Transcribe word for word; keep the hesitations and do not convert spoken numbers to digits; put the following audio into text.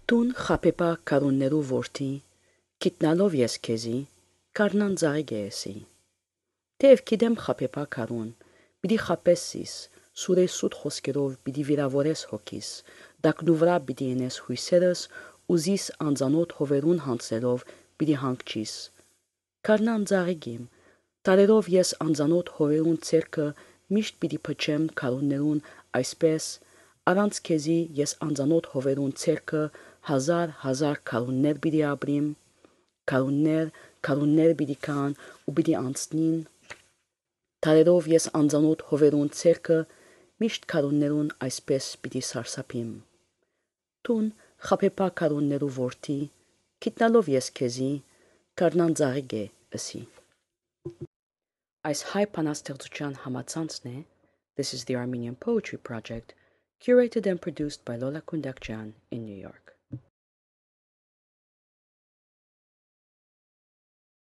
Տուն խապեպա կարուններու որդի, գիտնալով ես քեզի, կարնան ծաղիկ էսի։ Թեև գիտեմ խապեպա կարուն, պիտի խապեսիս, սուրեսուտ խոսքերով պիտի վիրավորես հոգիս, դակնու վրա պիտի ենես հույսերս, ուզիս անծանոթ հովերուն հանցելով պիտի հանգչիս։ Կարնան ծաղիկիմ, տարերով ես անծանոթ հովերուն ցերկը միշտ պիտի փչեմ կարուններուն այսպես, առանց քեզի ես անծանոթ հովերուն ցերկը հազար հազար քարուններ պիտի ապրիմ, քարուններ, քարուններ պիտի կան ու պիտի անցնին, տարերով ես անծանոթ հովերուն ցերկը միշտ քարուններուն այսպես պիտի սարսափիմ։ Տուն խապեպա քարուններու որդի, գիտնալով ես քեզի, կարնան ծաղիկ է ըսի։ Այս հայ բանաստեղծության համացանցն է This is the Armenian Poetry Project, curated and produced by Lola Kundakjan in New York.